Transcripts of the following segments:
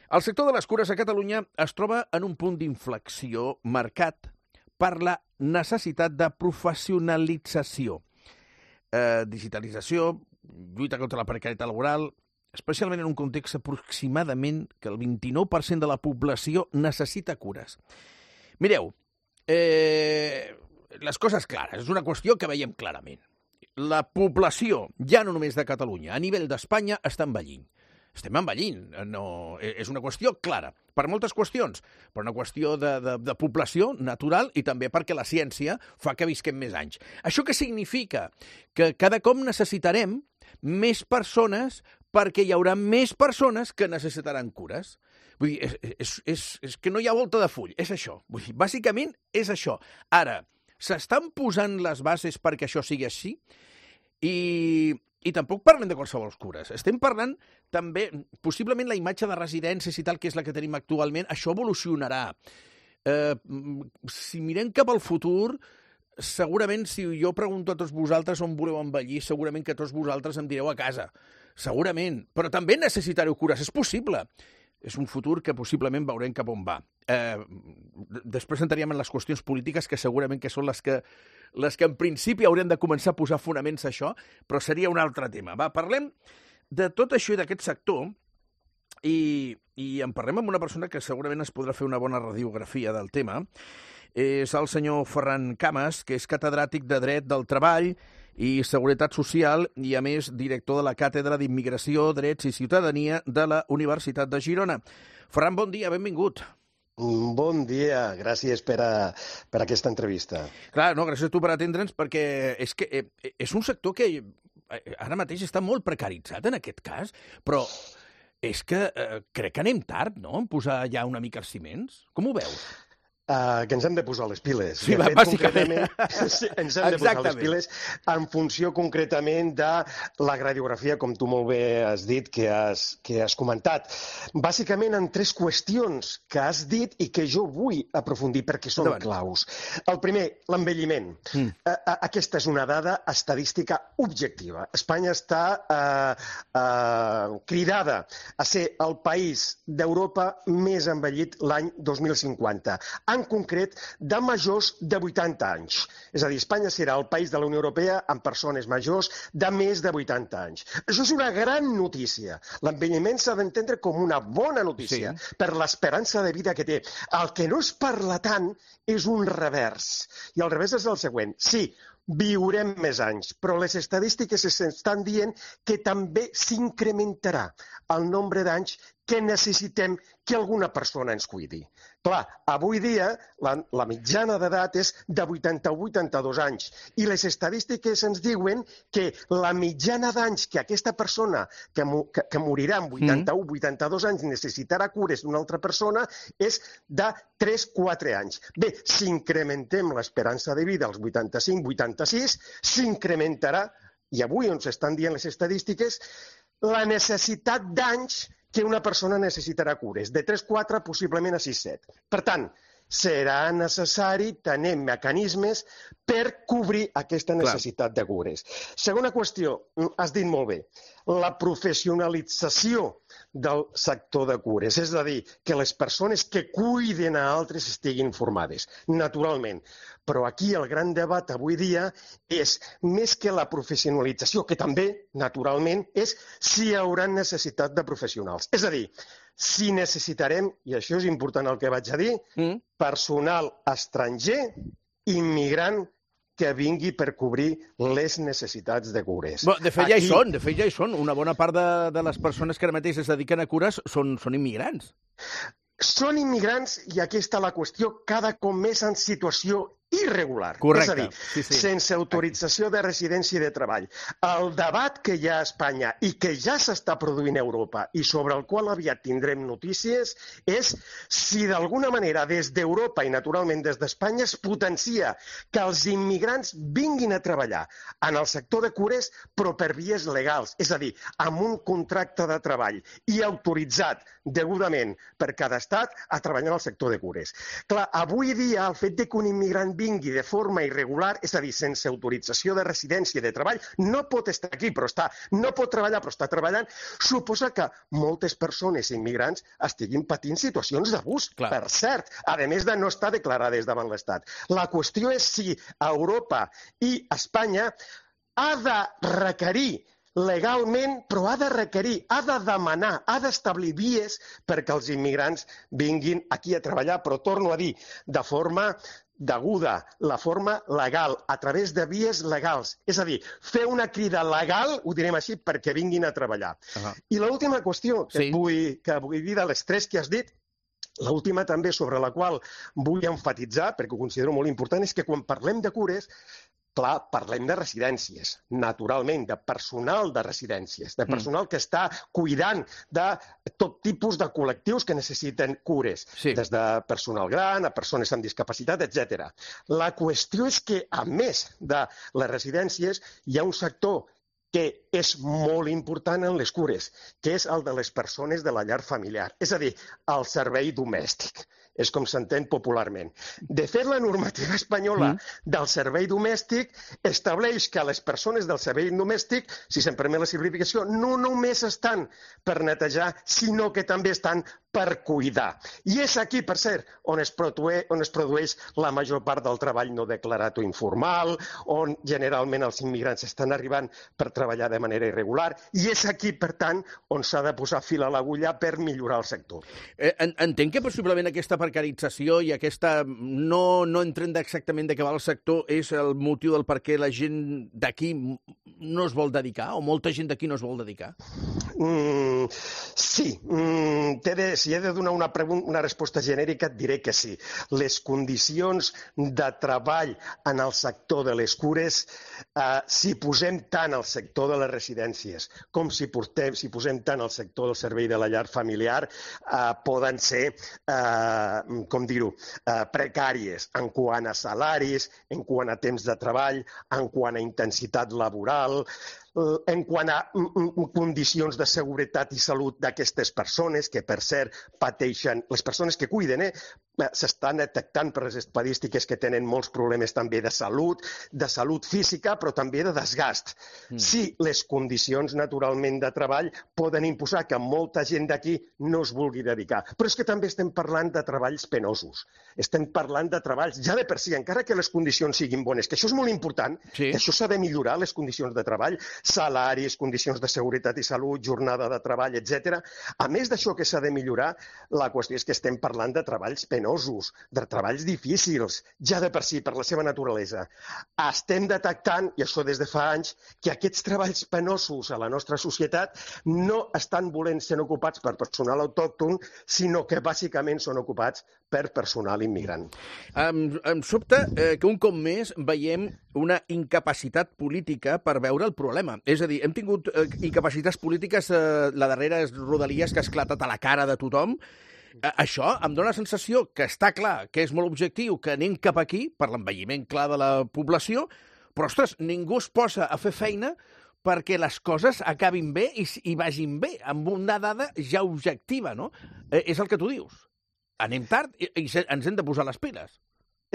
El sector de les cures a Catalunya es troba en un punt d'inflexió marcat per la necessitat de professionalització, digitalització, lluita contra la precarietat laboral, especialment en un context aproximadament que el 29% de la població necessita cures. Mireu, les coses clares, és una qüestió que veiem clarament. La població, ja no només de Catalunya, a nivell d'Espanya, està envellint. Estem envellint, no, és una qüestió clara, per moltes qüestions, però una qüestió de població natural i també perquè la ciència fa que visquem més anys. Això què significa? Que cada cop necessitarem més persones perquè hi haurà més persones que necessitaran cures. Vull dir, és que no hi ha volta de full, és això. Vull dir, bàsicament és això. Ara, s'estan posant les bases perquè això sigui així? I tampoc parlem de qualsevol cures. Estem parlant també, possiblement la imatge de residències i tal, que és la que tenim actualment, això evolucionarà. Si mirem cap al futur, segurament si jo pregunto a tots vosaltres on voleu envellir, segurament que tots vosaltres em direu a casa. Segurament. Però també necessitareu cures. És possible. És un futur que possiblement veurem cap on va. Després entraríem en les qüestions polítiques, que segurament que són les que en principi haurem de començar a posar fonaments a això, però seria un altre tema. Va, parlem de tot això i d'aquest sector i en parlem amb una persona que segurament es podrà fer una bona radiografia del tema. És el senyor Ferran Cames, que és catedràtic de Dret del Treball i Seguretat Social i, a més, director de la Càtedra d'Immigració, Drets i Ciutadania de la Universitat de Girona. Ferran, bon dia, benvingut. Bon dia, gràcies per aquesta entrevista. Clar, no, gràcies a tu per atendre'ns, perquè és un sector que ara mateix està molt precaritzat en aquest cas, però és que crec que anem tard, no?, en posar ja una mica els ciments. Com ho veus? Que ens hem de posar les piles. Sí, bàsicament. Sí, ens hem de posar les piles en funció concretament de la radiografia, com tu molt bé has dit, que has comentat. Bàsicament en tres qüestions que has dit i que jo vull aprofundir perquè són claus. El primer, l'envelliment. Aquesta és una dada estadística objectiva. Espanya està cridada a ser el país d'Europa més envellit l'any 2050. En concret, de majors de 80 anys. És a dir, Espanya serà el país de la Unió Europea amb persones majors de més de 80 anys. Això és una gran notícia. L'envelliment s'ha d'entendre com una bona notícia per l'esperança de vida que té. El que no es parla tant és un revers. I el revers és el següent. Sí, viurem més anys, però les estadístiques estan dient que també s'incrementarà el nombre d'anys que necessitem que alguna persona ens cuidi. Clar, avui dia la mitjana d'edat és de 80 o 82 anys i les estadístiques ens diuen que la mitjana d'anys que aquesta persona que morirà amb 81 o 82 anys necessitarà cures d'una altra persona és de 3-4 anys. Bé, si incrementem l'esperança de vida als 85-86, s'incrementarà, i avui on s'estan dient les estadístiques, la necessitat d'anys que una persona necessitarà cures, de 3-4 possiblement a 6-7. Per tant, serà necessari tenir mecanismes per cobrir aquesta necessitat de cures. Segona qüestió, has dit molt bé, la professionalització del sector de cures, és a dir, que les persones que cuiden a altres estiguin formades, naturalment. Però aquí el gran debat avui dia és, més que la professionalització, que també, naturalment, és si hi haurà necessitat de professionals. És a dir, si necessitarem, i això és important el que vaig a dir, personal estranger, immigrant, que vingui per cobrir les necessitats de cures. De fet, ja hi són. Una bona part de les persones que ara mateix es dediquen a cures són immigrants. Són immigrants, i aquí està la qüestió, cada cop més en situació irregular. Correcte. És a dir, sense autorització de residència i de treball. El debat que hi ha a Espanya i que ja s'està produint a Europa i sobre el qual aviat tindrem notícies és si d'alguna manera des d'Europa i naturalment des d'Espanya es potencia que els immigrants vinguin a treballar en el sector de cures però per vies legals, és a dir, amb un contracte de treball i autoritzat degudament per cada estat a treballar en el sector de cures. Clar, avui dia el fet que un immigrant vingui de forma irregular, és a dir, sense autorització de residència i de treball, no pot estar aquí, no pot treballar, però està treballant, suposa que moltes persones immigrants estiguin patint situacions d'abús, per cert, a més de no estar declarades davant l'Estat. La qüestió és si Europa i Espanya ha de requerir legalment, però ha de requerir, ha de demanar, ha d'establir vies perquè els immigrants vinguin aquí a treballar, però torno a dir, de forma deguda, la forma legal, a través de vies legals. És a dir, fer una crida legal, ho direm així, perquè vinguin a treballar. I l'última qüestió que vull dir de les tres que has dit, l'última també sobre la qual vull enfatitzar, perquè ho considero molt important, és que quan parlem de cures, clar, parlem de residències, naturalment, de personal de residències, de personal que està cuidant de tot tipus de col·lectius que necessiten cures, des de personal gran a persones amb discapacitat, etc. La qüestió és que, a més de les residències, hi ha un sector que és molt important en les cures, que és el de les persones de la llar familiar, és a dir, el servei domèstic. És com s'entén popularment. De fet, la normativa espanyola del servei domèstic estableix que les persones del servei domèstic, si se'n permet la simplificació, no només estan per netejar, sinó que també estan per cuidar. I és aquí, per cert, on es produeix la major part del treball no declarat o informal, on generalment els immigrants estan arribant per treballar de manera irregular, i és aquí, per tant, on s'ha de posar fil a l'agulla per millorar el sector. Entenc que possiblement aquesta precarització i aquesta no entrant exactament de què va el sector és el motiu del per què la gent d'aquí no es vol dedicar, o molta gent d'aquí no es vol dedicar? Sí. Si he de donar una resposta genèrica, et diré que sí. Les condicions de treball en el sector de les cures, si posem tant el sector de les residències com si posem tant el sector del servei de la llar familiar, poden ser precàries en quant a salaris, en quant a temps de treball, en quant a intensitat laboral, en quant a condicions de seguretat i salut d'aquestes persones, que per cert pateixen, les persones que cuiden, s'estan detectant per les estadístiques que tenen molts problemes també de salut física, però també de desgast. Sí, les condicions naturalment de treball poden imposar que molta gent d'aquí no es vulgui dedicar, però és que també estem parlant de treballs penosos, estem parlant de treballs ja de per si, encara que les condicions siguin bones, que això és molt important, que això s'ha de millorar, les condicions de treball, salaris, condicions de seguretat i salut, jornada de treball, etc. A més d'això que s'ha de millorar, la qüestió és que estem parlant de treballs penosos, de treballs difícils, ja de per si, per la seva naturalesa. Estem detectant, i això des de fa anys, que aquests treballs penosos a la nostra societat no estan volent ser ocupats per personal autòcton, sinó que bàsicament són ocupats per personal immigrant. Em sobta que un cop més veiem una incapacitat política per veure el problema. És a dir, hem tingut incapacitats polítiques, la darrera és Rodalies, que ha esclatat a la cara de tothom. Això em dóna la sensació que està clar, que és molt objectiu, que anem cap aquí, per l'envelliment clar de la població, però, ostres, ningú es posa a fer feina perquè les coses acabin bé i vagin bé, amb una dada ja objectiva, no? És el que tu dius. Anem tard i ens hem de posar les piles.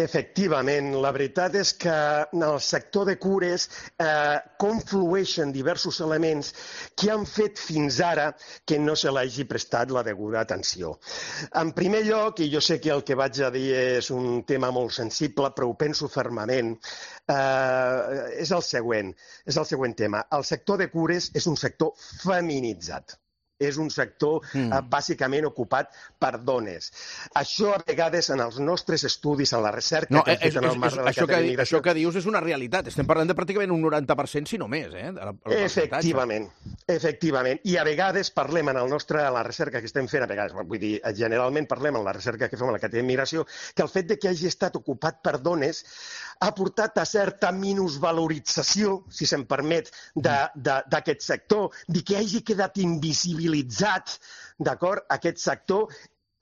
Efectivament, la veritat és que en el sector de cures conflueixen diversos elements que han fet fins ara que no se l'hagi prestat la deguda atenció. En primer lloc, i jo sé que el que vaig a dir és un tema molt sensible, però ho penso fermament, és el següent tema. El sector de cures és un sector feminitzat. És un sector bàsicament ocupat per dones. Això a vegades en els nostres estudis, en la recerca que hem fet en el marc de l'Acadèmia d'Immigració... Això que dius és una realitat. Estem parlant de pràcticament un 90%, si no més, Efectivament. I a vegades parlem en la recerca que estem fent, generalment parlem en la recerca que fem a l'Acadèmia d'Immigració, que el fet de que hagi estat ocupat per dones ha portat a certa minusvalorització, si se'm permet, d'aquest sector, de que hagi quedat invisibilitzat, d'acord, aquest sector,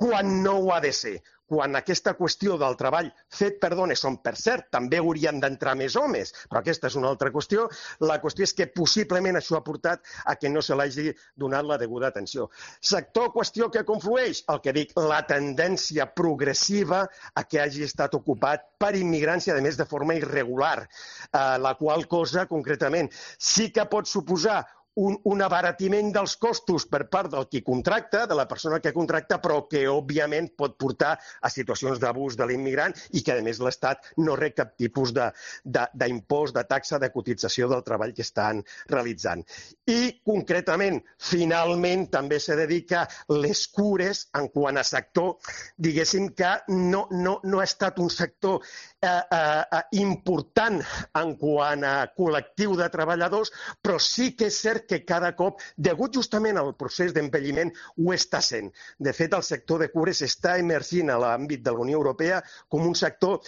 quan no ho ha de ser. quan aquesta qüestió del treball fet per dones, on per cert també haurien d'entrar més homes, però aquesta és una altra qüestió, la qüestió és que possiblement això ha portat a que no se l'hagi donat la deguda atenció. Sector, qüestió que conflueix, el que dic, la tendència progressiva a que hagi estat ocupat per immigrants i, a més, de forma irregular, la qual cosa, concretament, sí que pot suposar un abaratiment dels costos per part del qui contracta, de la persona que contracta, però que, òbviament, pot portar a situacions d'abús de l'immigrant i que, a més, l'Estat no rep cap tipus d'impost, de taxa, de cotització del treball que estan realitzant. I, concretament, finalment, també se dedica les cures en quant a sector, diguéssim que no ha estat un sector important en quant a col·lectiu de treballadors, però sí que és cert que cada cop, degut justament al procés d'envelliment, ho està sent. De fet, el sector de cures està emergint a l'àmbit de la Unió Europea com un sector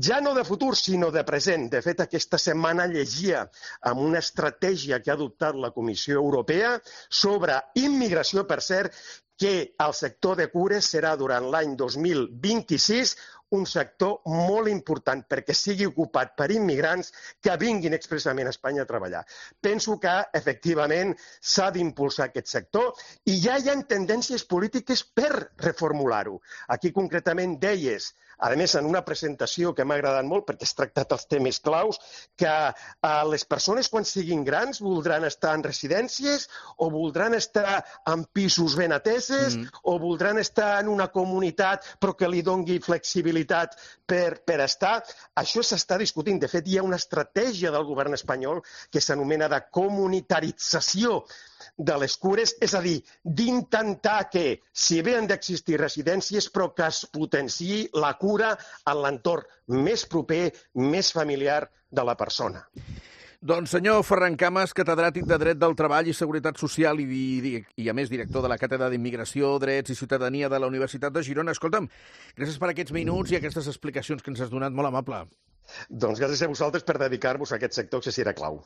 ja no de futur, sinó de present. De fet, aquesta setmana llegia amb una estratègia que ha adoptat la Comissió Europea sobre immigració, per cert, que el sector de cures serà durant l'any 2026 un sector molt important perquè sigui ocupat per immigrants que vinguin expressament a Espanya a treballar. Penso que, efectivament, s'ha d'impulsar aquest sector i ja hi ha tendències polítiques per reformular-ho. Aquí, concretament, deies, a més, en una presentació que m'ha agradat molt perquè has tractat els temes claus, que les persones, quan siguin grans, voldran estar en residències o voldran estar en pisos ben ateses o voldran estar en una comunitat però que li doni flexibilitat per estar. Això s'està discutint. De fet, hi ha una estratègia del govern espanyol que s'anomena de comunitarització de les cures, és a dir, d'intentar que, si bé han d'existir residències, però que es potenciï la cura en l'entorn més proper, més familiar de la persona. Doncs senyor Ferran Cames, catedràtic de Dret del Treball i Seguretat Social i a més director de la Càtedra d'Immigració, Drets i Ciutadania de la Universitat de Girona. Escolta'm, gràcies per aquests minuts i aquestes explicacions que ens has donat, molt amable. Doncs gràcies a vosaltres per dedicar-vos a aquest sector que sí era clau.